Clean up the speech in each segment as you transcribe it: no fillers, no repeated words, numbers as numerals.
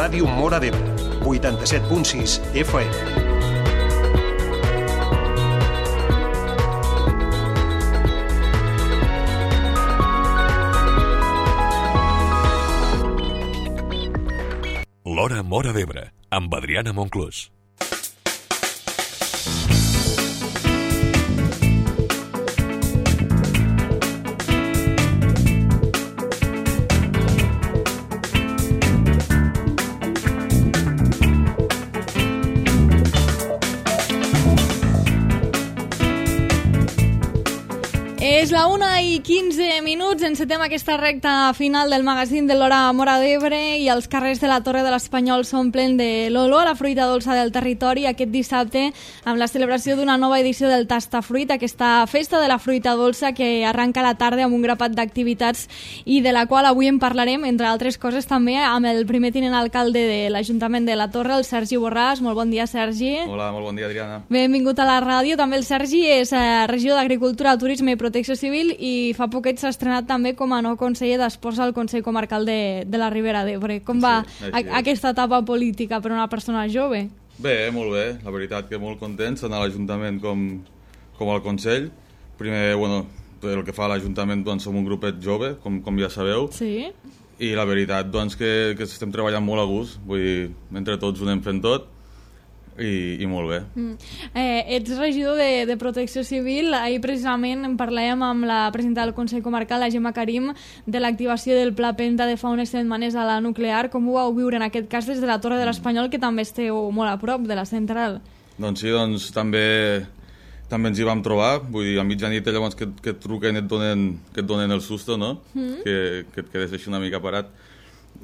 Ràdio Móra d'Ebre, 87.6 FM. L'Hora Móra d'Ebre, amb Adriana Monclús. És la 1:15, encetem aquesta recta final del magazín de l'Hora Móra d'Ebre i els carrers de la Torre de l'Espanyol s'omplen de l'olor a la fruita dolça del territori aquest dissabte amb la celebració d'una nova edició del Tastafruit, aquesta festa de la fruita dolça que arranca a la tarda amb un grapat d'activitats i de la qual avui en parlarem, entre altres coses també amb el primer tinent alcalde de l'Ajuntament de la Torre, el Sergi Borràs. Molt bon dia, Sergi. Hola, molt bon dia, Adriana. Benvingut a la ràdio. També el Sergi és regidor d'Agricultura, Turisme i Protecció Civil i fa poquet s'ha estrenat també com a nou conseller d'Esports al Consell Comarcal de la Ribera d'Ebre. Com va aquesta etapa política per a una persona jove? Bé, molt bé. La veritat que molt contents tant a l'Ajuntament com al Consell. Primer, bueno, el que fa a l'Ajuntament, doncs, som un grupet jove, com ja sabeu. Sí. I la veritat, doncs, que estem treballant molt a gust. Vull dir, entre tots ho anem fent tot. I molt bé. Ets regidor de Protecció Civil. Ahir precisament en parlàvem amb la presidenta del Consell Comarcal, la Gemma Karim, de l'activació del Pla Penta de fa unes setmanes a la nuclear. Com ho vau viure en aquest cas des de la Torre de l'Espanyol, que també esteu molt a prop de la central? Doncs sí, també ens hi vam trobar. Vull dir, a mitjanit llavors que et truquen i que et donen el susto, no? Que et quedes així una mica parat.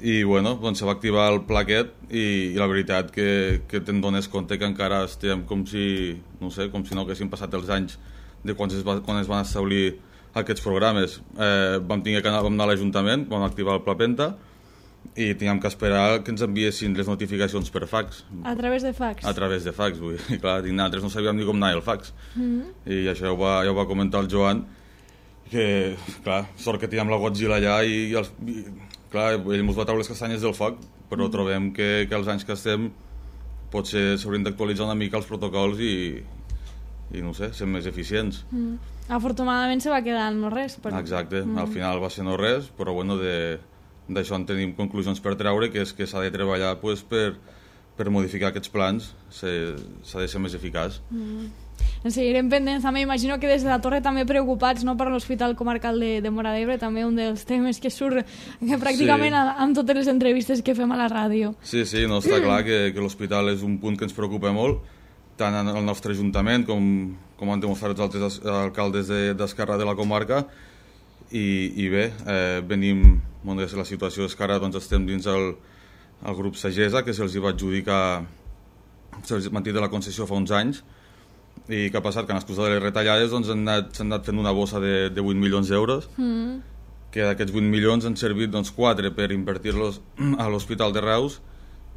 I bueno, doncs se va activar el pla aquest i la veritat que te'n dones compte que encara estem com si no haguessin passat els anys de quan es van establir aquests programes. Vam anar a l'Ajuntament, vam activar el Pla Penta i teníem que esperar que ens enviessin les notificacions per fax. A través de fax? A través de fax, vull dir. Clar, nosaltres no sabíem ni com anar el fax. I això ja ho va comentar el Joan, que, clar, sort que teníem la Godzilla allà i clar, ell ens va treure les castanyes del foc, però trobem que als anys que estem potser s'haurien d'actualitzar una mica els protocols i no sé, ser més eficients. Afortunadament se va quedar en no res. Però... Exacte, al final va ser no res, però bueno, d'això en tenim conclusions per treure, que és que s'ha de treballar pues, per modificar aquests plans, s'ha de ser més eficaç. En seguirem pendents també, imagino que des de la Torre també preocupats, no, per l'Hospital Comarcal de Móra d'Ebre, també un dels temes que surt pràcticament amb totes les entrevistes que fem a la ràdio. Sí, no, està clar que l'hospital és un punt que ens preocupa molt, tant en el nostre Ajuntament com han demostrat els altres alcaldes d'Esquerra de la comarca, i bé, venim, la situació és que ara doncs, estem dins el grup Sagesa, que se'ls va adjudicar, se'ls va mantenir la concessió fa uns anys. I què ha passat? Que en l'excusa de les retallades doncs, s'han anat fent una bossa de 8 milions d'euros, que d'aquests 8 milions han servit 4 per invertir-los a l'Hospital de Reus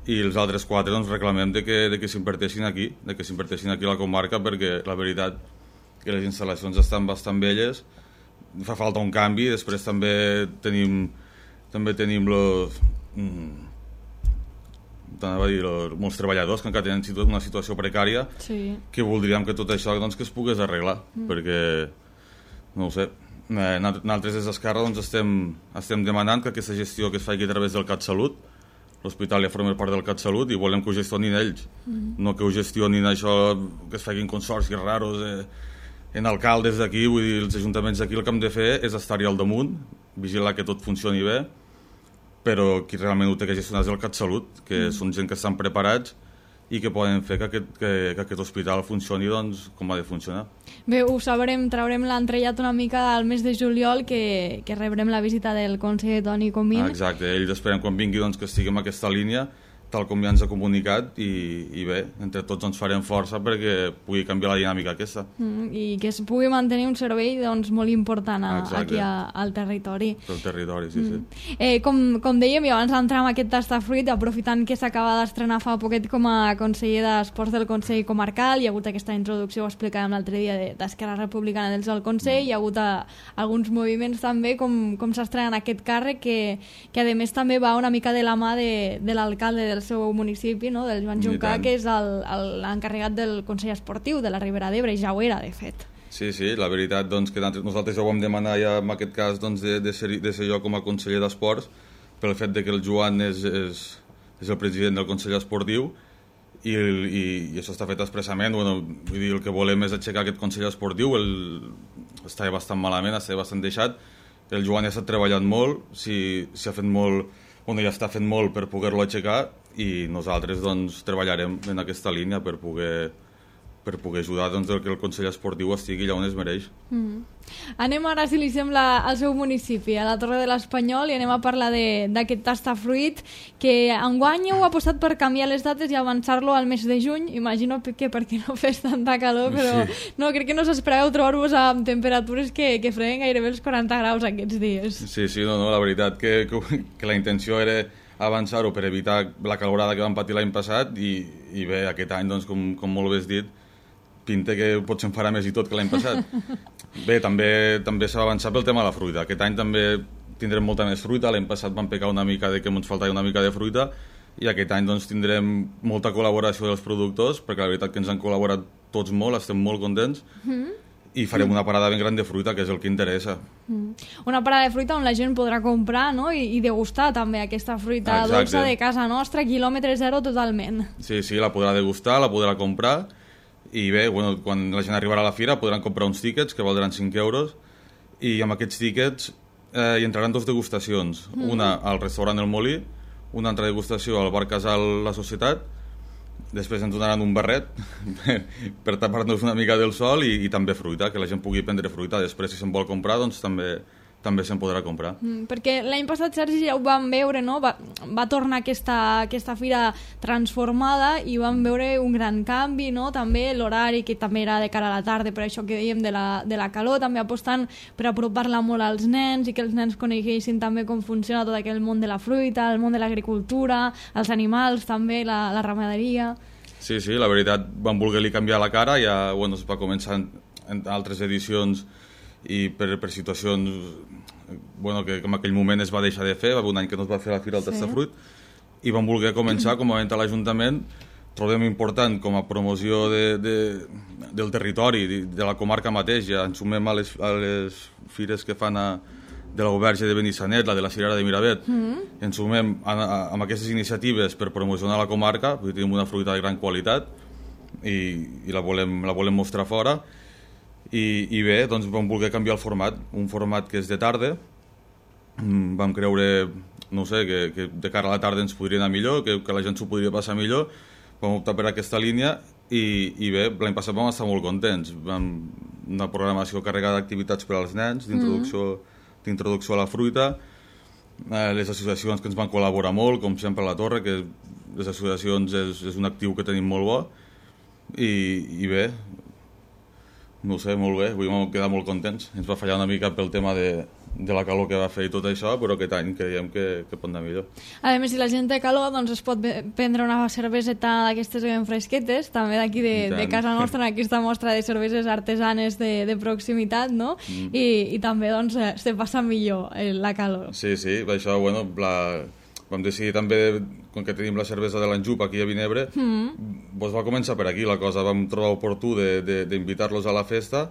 i els altres 4 reclamem que s'inverteixin aquí, a la comarca, perquè la veritat que les instal·lacions estan bastant velles, fa falta un canvi. Després també tenim molts treballadors que encara tenen una situació precària, que voldríem que tot això que es pogués arreglar, perquè no ho sé, nosaltres des d'Esquerra estem demanant que aquesta gestió que es faci a través del CatSalut, l'hospital ja forma part del CatSalut i volem que ho gestionin ells, no que ho gestionin això, que es facin consorcis raros en alcaldes d'aquí. Vull dir, els ajuntaments d'aquí el que hem de fer és estar-hi al damunt, vigilar que tot funcioni bé, però qui realment ho té que gestionar és el CatSalut, que són gent que estan preparats i que poden fer que aquest hospital funcioni com ha de funcionar. Bé, ho sabrem, traurem l'entrellat una mica al mes de juliol, que rebrem la visita del conseller Toni Comín. Exacte, ells esperem quan vingui que estiguem en aquesta línia, tal com ja ens ha comunicat, i bé, entre tots ens farem força perquè pugui canviar la dinàmica aquesta. I que es pugui mantenir un servei molt important aquí al territori. Del territori, sí. Com dèiem, i abans d'entrar en aquest Tastafruit, aprofitant que s'acaba d'estrenar fa poquet com a conseller d'Esports del Consell Comarcal, hi ha hagut aquesta introducció, ho explicàvem l'altre dia, d'Esquerra Republicana del Consell, hi ha hagut alguns moviments també, com s'estrena en aquest càrrec, que a més també va una mica de la mà de l'alcalde del seu municipi, no? Del Joan Juncà, que és l'encarregat del Consell Esportiu de la Ribera d'Ebre, i ja ho era, de fet. Sí, la veritat doncs, que nosaltres ja ho vam demanar ja en aquest cas doncs, de ser jo com a conseller d'Esports, pel fet de que el Joan és el president del Consell Esportiu, i això està fet expressament. Vull dir, el que volem és aixecar aquest Consell Esportiu. Estava bastant malament, estava bastant deixat. El Joan ja s'ha treballat molt, s'ha fet molt, ja està fent molt per poder-lo aixecar, i nosaltres doncs, treballarem en aquesta línia per poder ajudar doncs, que el Consell Esportiu estigui allà on es mereix. Anem ara, si li sembla, al seu municipi, a la Torre de l'Espanyol, i anem a parlar d'aquest tastafruit, que enguany heu apostat per canviar les dates i avançar-lo al mes de juny. Imagino que perquè no fes tanta calor, però no, crec que no s'espereu trobar-vos amb temperatures que freguen gairebé els 40 graus aquests dies. Sí, la veritat que la intenció era avançar-ho per evitar la calorada que vam patir l'any passat, i bé, aquest any, doncs, com molt bé has dit, pinta que potser en farà més i tot que l'any passat. Bé, també s'ha avançat pel tema de la fruita. Aquest any també tindrem molta més fruita. L'any passat vam pecar una mica de que ens faltava una mica de fruita, i aquest any doncs, tindrem molta col·laboració dels productors, perquè la veritat que ens han col·laborat tots molt, estem molt contents, i farem una parada ben gran de fruita, que és el que interessa. Una parada de fruita on la gent podrà comprar, no? I degustar també aquesta fruita dolça de casa nostra, quilòmetre zero totalment. Sí, la podrà degustar, la podrà comprar. I bé, quan la gent arribarà a la fira podran comprar uns tíquets que valdran 5 euros, i amb aquests tíquets hi entraran 2 degustacions, una al restaurant El Molí, una altra degustació al bar Casal La Societat. Després ens donaran un barret per tapar-nos una mica del sol, i també fruita, que la gent pugui prendre fruita. Després, si se'n vol comprar, doncs també se'n podrà comprar. Perquè l'any passat, Sergi, ja ho vam veure, no? Va tornar aquesta fira transformada, i vam veure un gran canvi, no? També l'horari, que també era de cara a la tarda, per això que dèiem de la calor, també apostant per apropar-la molt als nens, i que els nens coneguessin també com funciona tot aquell món de la fruita, el món de l'agricultura, els animals també, la ramaderia. Sí, la veritat, vam voler-li canviar la cara, ja es va començar en altres edicions, i per situacions que en aquell moment es va deixar de fer. Va haver un any que no es va fer la fira del tastafruit, i vam voler començar com a event a l'Ajuntament. Trobem important com a promoció del territori, de la comarca mateix. Ja ens sumem a les fires que fan de la Uberge de Benissanet, la de la Cirera de Miravet. Ens sumem amb aquestes iniciatives per promocionar la comarca, perquè tenim una fruita de gran qualitat, i la volem mostrar fora. I bé, doncs vam voler canviar el format, un format que és de tarda. Vam creure, no sé, que de cara a la tarda ens podria anar millor, que la gent s'ho podria passar millor. Vam optar per aquesta línia, i bé, l'any passat vam estar molt contents. Una programació carregada d'activitats per als nens, d'introducció a la fruita, les associacions que ens van col·laborar molt, com sempre a la Torre, que les associacions és un actiu que tenim molt bo, i bé, no sé, molt bé, avui vam quedar molt contents. Ens va fallar una mica pel tema de la calor que va fer i tot això, però aquest any creiem que pot anar millor. A més, si la gent té calor, doncs es pot prendre una cerveseta d'aquestes ben fresquetes, també d'aquí de casa nostra, en aquesta mostra de cerveses artesanes de proximitat, no? I també, doncs, se passa millor la calor. Sí, això, vam decidir també, com que tenim la cervesa de l'Anjup aquí a Vinebre, doncs va començar per aquí la cosa. Vam trobar oportú d'invitar-los a la festa,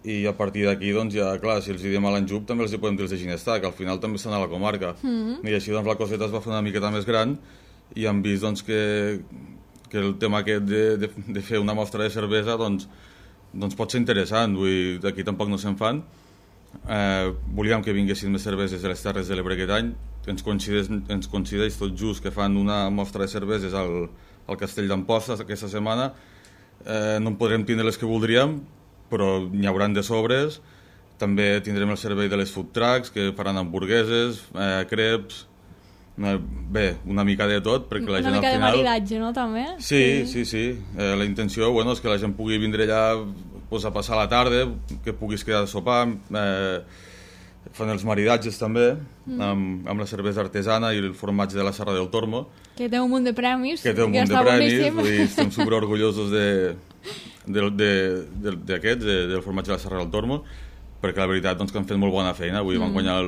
i a partir d'aquí, doncs ja, clar, si els diem a l'Anjup també els podem dir els de Ginestar, que al final també estan a la comarca. I així doncs la coseta es va fer una miqueta més gran, i hem vist doncs, que el tema aquest de fer una mostra de cervesa doncs pot ser interessant. Aquí tampoc no se'n fan. Volíem que vinguessin més cerveses de les Terres de l'Ebre aquest any. Ens coincideix tot just que fan una mostra de cerveses al Castell d'Amposta aquesta setmana. No en podrem tindre les que voldríem, però n'hi hauran de sobres. També tindrem el servei de les food trucks, que faran hamburgueses, creps, bé, una mica de tot, perquè la gent al final... Una mica de maridatge, no, també? Sí. La intenció és que la gent pugui vindre allà a passar la tarda, que puguis quedar a sopar. Fan els maridatges també, amb la cervesa artesana i el formatge de la Serra del Tormo. Que té un munt de premis. Estem superorgullosos del formatge de la Serra del Tormo, perquè la veritat que han fet molt bona feina. Van guanyar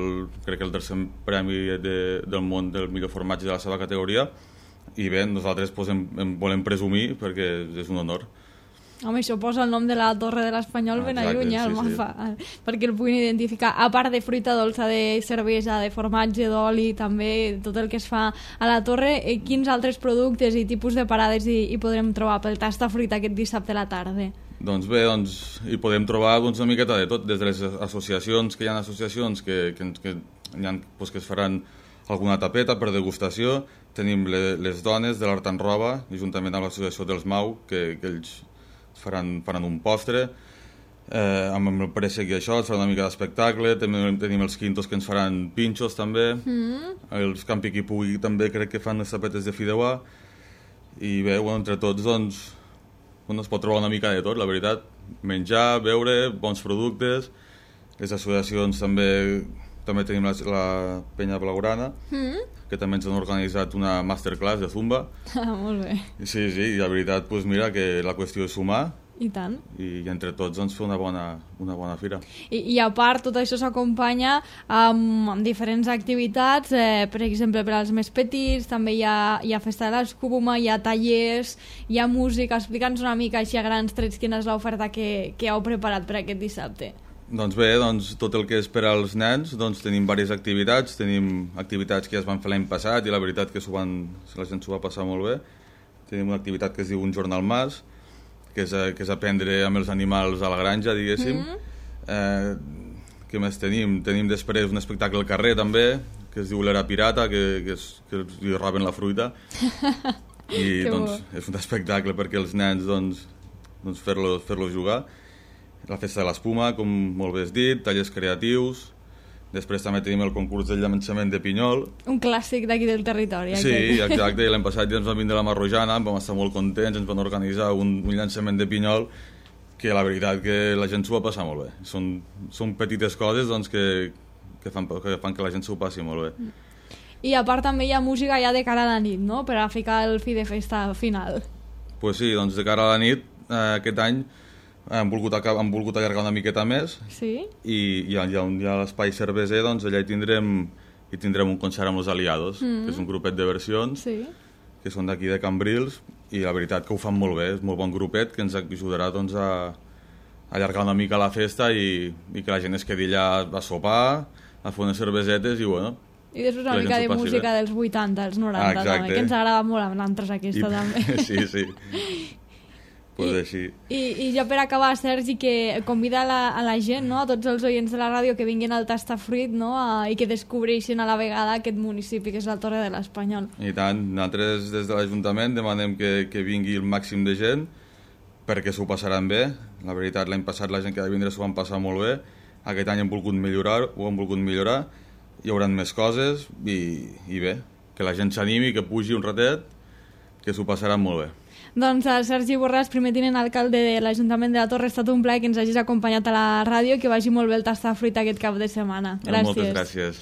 crec que el tercer premi del món del millor formatge de la seva categoria, i bé, nosaltres pues, en volem presumir perquè és un honor. Home, això posa el nom de la Torre de l'Espanyol ben lluny, el mapa, perquè el puguin identificar. A part de fruita dolça, de cervesa, de formatge, d'oli, també tot el que es fa a la Torre, quins altres productes i tipus de parades hi podrem trobar pel Tastafruit aquest dissabte a la tarda? Doncs bé, hi podem trobar una miqueta de tot, des de les associacions, que hi ha associacions que es faran alguna tapeta per degustació. Tenim les dones de l'Art en Roba, juntament amb l'associació dels Mau, que ells faran un postre, amb el préssec i això, es farà una mica d'espectacle. Tenim els quintos que ens faran pinxos també, els Campi qui pugui també crec que fan les tapetes de fideuà, i bé, entre tots doncs es pot trobar una mica de tot, la veritat, menjar, beure, bons productes. Les associacions també tenim la Penya Blaugrana, que també ens han organitzat una masterclass de Zumba. Molt bé. Sí, i la veritat, doncs mira, que la qüestió és sumar. I tant. I entre tots fer una bona fira. I a part, tot això s'acompanya amb diferents activitats, per exemple, per als més petits, també hi ha festa de l'escuma, hi ha tallers, hi ha música. Explica'ns una mica així a grans trets quina és l'oferta que heu preparat per aquest dissabte. Doncs bé, tot el que és per als nens, tenim diverses activitats. Tenim activitats que ja es van fer l'any passat i la veritat que la gent s'ho va passar molt bé. Tenim una activitat que es diu Un jornal mas, que és aprendre amb els animals a la granja, diguéssim. Què més tenim? Tenim després un espectacle al carrer també, que es diu l'Era Pirata, que li roben la fruita. I és un espectacle perquè els nens fer-los jugar. La festa de l'espuma, com molt bé has dit, tallers creatius. Després també tenim el concurs del llançament de pinyol. Un clàssic d'aquí del territori. Sí, exacte. L'any passat ja ens van vindre a la Marrojana, vam estar molt contents, ens van organitzar un llançament de pinyol que la veritat que la gent s'ho va passar molt bé. Són petites coses que fan que la gent s'ho passi molt bé. I a part també hi ha música ja de cara a la nit, no?, per a ficar el fi de festa final. Pues sí, de cara a la nit, aquest any han volgut allargar una miqueta més. Sí? I hi ha l'espai cerveser, allà hi tindrem un concert amb els Aliados, que és un grupet de versions, que són d'aquí de Cambrils, i la veritat que ho fan molt bé, és molt bon grupet, que ens ajudarà a allargar una mica la festa i que la gent es quedi allà a sopar, a fer unes cervesetes i bueno... I després una mica de música dels 80, dels 90, també, que ens agrada molt amb l'altres aquesta també. Sí. Pues així. I jo per acabar, Sergi, que convida a la gent, no?, a tots els oients de la ràdio que vinguin al Tastafruit, no?, i que descobreixin a la vegada aquest municipi que és la Torre de l'Espanyol. I tant, nosaltres des de l'Ajuntament demanem que vingui el màxim de gent perquè s'ho passaran bé. La veritat, l'any passat la gent que va vindre s'ho van passar molt bé. Aquest any ho han volgut millorar. Hi haurà més coses i bé, que la gent s'animi, que pugi un ratet, que s'ho passaran molt bé. Doncs Sergi Borràs, primer tinent alcalde de l'Ajuntament de la Torre, ha estat un plaer que ens hagis acompanyat a la ràdio i que vagi molt bé el Tastafruit aquest cap de setmana. Gràcies. Moltes gràcies.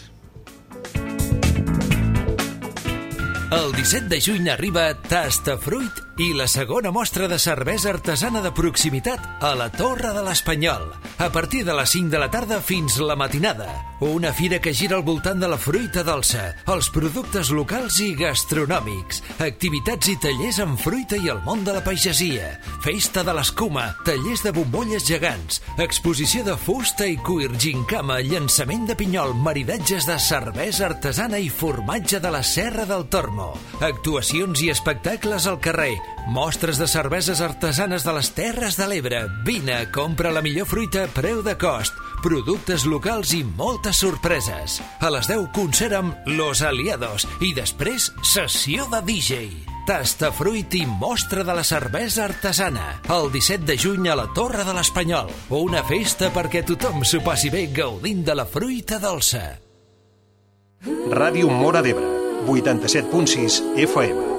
El 17 de juny arriba Tastafruit i la segona mostra de cervesa artesana de proximitat a la Torre de l'Espanyol. A partir de les 5 de la tarda fins la matinada. Una fira que gira al voltant de la fruita dolça, els productes locals i gastronòmics, activitats i tallers amb fruita i el món de la pagesia, festa de l'escuma, tallers de bombolles gegants, exposició de fusta i cuir, gincama, llançament de pinyol, maridatges de cervesa artesana i formatge de la Serra del Tormo, actuacions i espectacles al carrer, mostres de cerveses artesanes de les Terres de l'Ebre. Vine, compra la millor fruita a preu de cost, productes locals i moltes sorpreses. A les 10 concert amb Los Aliados i després sessió de DJ. Tastafruit i mostra de la cervesa artesana. El 17 de juny a la Torre de l'Espanyol. Una festa perquè tothom s'ho passi bé gaudint de la fruita dolça. Ràdio Móra d'Ebre, 87.6 FM.